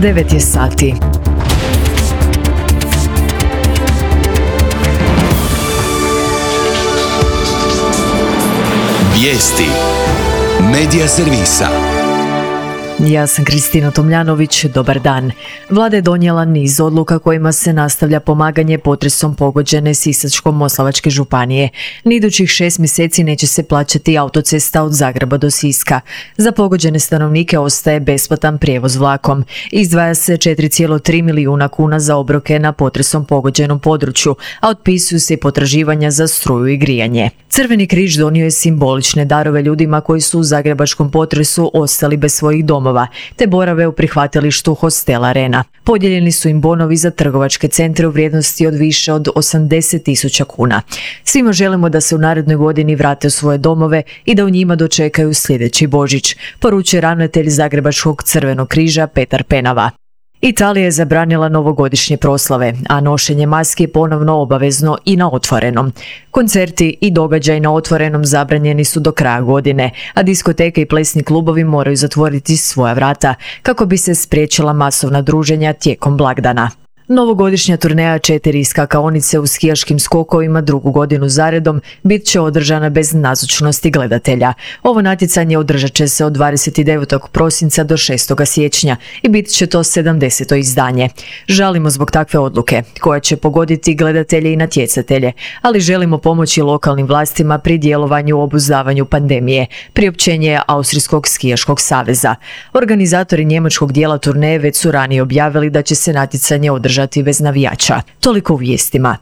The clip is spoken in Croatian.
9 je sati. Vijesti Medija servisa. Ja sam Kristina Tomljanović, dobar dan. Vlada je donijela niz odluka kojima se nastavlja pomaganje potresom pogođene Sisačko-moslavačke županije. Ni idućih 6 mjeseci neće se plaćati autocesta od Zagreba do Siska. Za pogođene stanovnike ostaje besplatan prijevoz vlakom. Izdvaja se 4,3 milijuna kuna za obroke na potresom pogođenom području, a otpisuju se i potraživanja za struju i grijanje. Crveni križ donio je simbolične darove ljudima koji su u zagrebačkom potresu ostali bez svojih domova, te borave u prihvatilištu hostela Arena. Podijeljeni su im bonovi za trgovačke centre u vrijednosti od više od 80.000 kuna. Svima želimo da se u narednoj godini vrate u svoje domove i da u njima dočekaju sljedeći Božić, poručuje ravnatelj Zagrebačkog crvenog križa Petar Penava. Italija je zabranila novogodišnje proslave, a nošenje maski je ponovno obavezno i na otvorenom. Koncerti i događaji na otvorenom zabranjeni su do kraja godine, a diskoteke i plesni klubovi moraju zatvoriti svoja vrata kako bi se spriječila masovna druženja tijekom blagdana. Novogodišnja turneja 4 skakaonice u skijaškim skokovima drugu godinu zaredom bit će održana bez nazočnosti gledatelja. Ovo natjecanje održat će se od 29. prosinca do 6. siječnja i bit će to 70. izdanje. Žalimo zbog takve odluke, koja će pogoditi gledatelje i natjecatelje, ali želimo pomoći lokalnim vlastima pri djelovanju u obuzdavanju pandemije, priopćenje je Austrijskog skijaškog saveza. Organizatori njemačkog dijela turneje već su ranije objavili da će se natjecanje održati bez navijača. Toliko u vijestima.